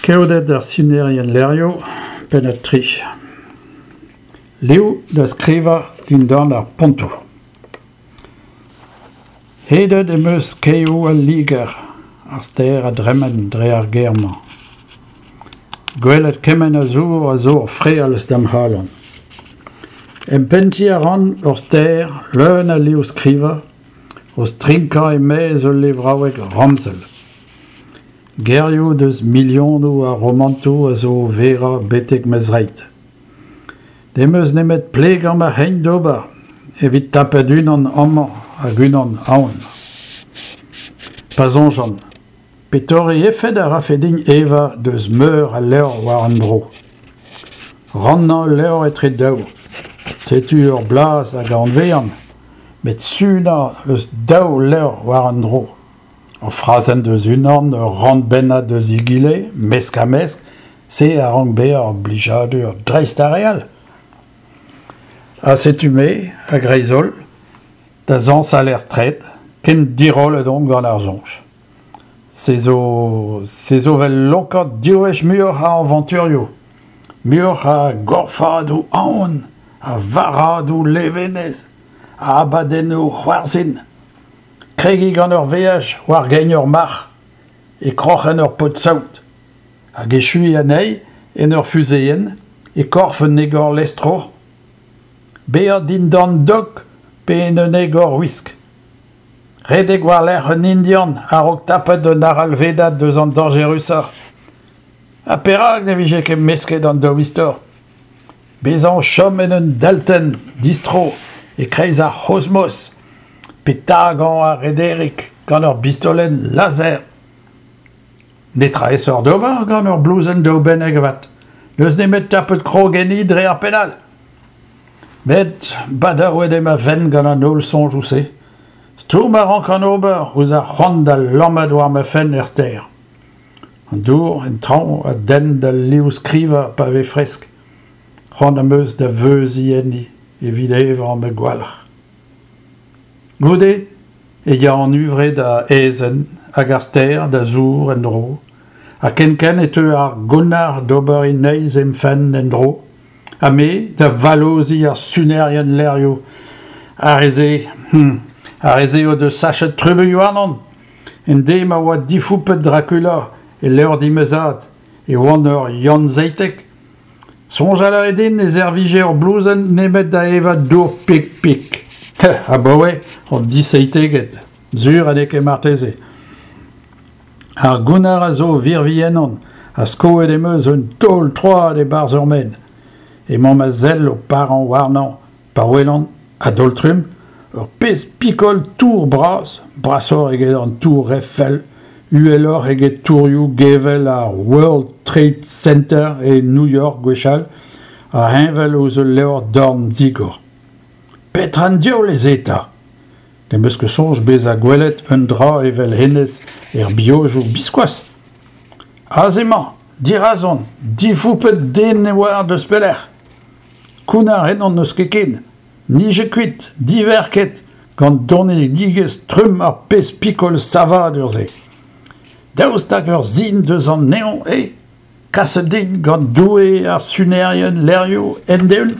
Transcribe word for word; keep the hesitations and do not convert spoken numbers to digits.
Keoded ar sinerien levrioù, pennad tri. Liv da skrivañ dindan ar pontoù. Hedet em eus kaeoù al Liger, ar stêr a dremen dre ar gêr-mañ. Gwelet kement a zour a zo ur frealz da'm c'halon. Empentiñ a ran ur stêr leun a liv-skrivañ o strinkañ e-maez ul levraoueg ramzel. Gerioù eus milionoù a romantoù a zo o verañ betek ma zreid. Ne'm eus nemet plegañ ma c'hein d'ober evit tapout unan amañ hag unan ahont. Pa soñjan, petore efed a rafe din evañ eus meur a levr war un dro ? Rannañ ul levr etre daou, setu ur blaz hag a anavezan, met sunañ eus daou levr war un dro, ur frazenn eus unan, ur rannbennad eus egile, mesk-ha-mesk, se a rank bezañ ur blijadur dreist ar re all. Ha setu-me, a-greiz-holl, da zañsal er straed, ken dirollet on gant ar soñj. Se zo, se zo 'vel lonkañ div wech muioc'h a avanturioù, muioc'h a gorfadoù aon, a varradoù levenez, a abadennoù c'hoarzhin. Kregiñ gant ur veaj war gein ur marc'h, e kroc'hen ur paotr-saout, hag echuiñ anezhi en ur fuzeenn, e korf un egorlestrour, bezañ dindan dok pe en un egorwisk. Redek war-lerc'h un Indian a-raok tapout un arallvedad eus an dañjerusañ. Ha perak ne vije ket mesket an daou istor ? Bezañ o chom en un deltenn distro e-kreiz ar c'hosmos pe tagañ ar rederig gant ur bistolenn laser. Netra aesoc'h d'ober gant ur blouzenn daoubennek avat. N'eus nemet tapout krog enni dre ar penn all. Met badaouet eo ma fenn gant an holl soñjoù-se. Stourm a rankan ober ouzh ar c'hoant da lammat war ma fenn er stêr. An dour en traoñ a denn d'al liv-skrivañ pa vez fresk. C'hoant am eus da veuziñ enni evit evañ ma gwalc'h. Goude e ya an huñvre da aezhenn hag ar stêr da zour en-dro, ha kenkent e teu ar gounnar d'ober e neizh em fenn en-dro, ha me da vallozhiñ ar sunerien levrioù. Ar re-se, hm, ar re-se o deus sachet trubuilh warnon. En deiz ma oa difoupet Dracula e levrdi ma zad, e oan ur Yann Seitek. Soñjal a rae din ne servije ur blouzenn nemet da evañ dour pik-pik. Abaoe on diseiteget, sur ha n'eo ket marteze. Ar gounnar a zo o virviñ ennon ha skoet em eus un taol troad e-barzh ur maen. Emañ ma sell o parañ warnañ pa welan, a-daol-trumm, ur pezh pikol tour bras, brasoc'h eget an tour Eiffel, uheloc'h eget tourioù gevell ar World Trade Center e New York gwechall, ha heñvel ouzh ul levr dorn digor. Petra an diaoul eo se 'ta ? Ne'm eus ket soñj bezañ gwelet un dra evel hennezh er biojoù biskoazh. Aze emañ, dirazon, difoupet den ne oar deus pelec'h. Kounnar ennon n'eus ket ken, nijet kuit, diverket, gant donedigezh trumm ar pezh pikol savadur-se. Daoust hag ur sin eus an neñv eo ? Kaset din gant Doue ar sunerien levrioù end-eeun ?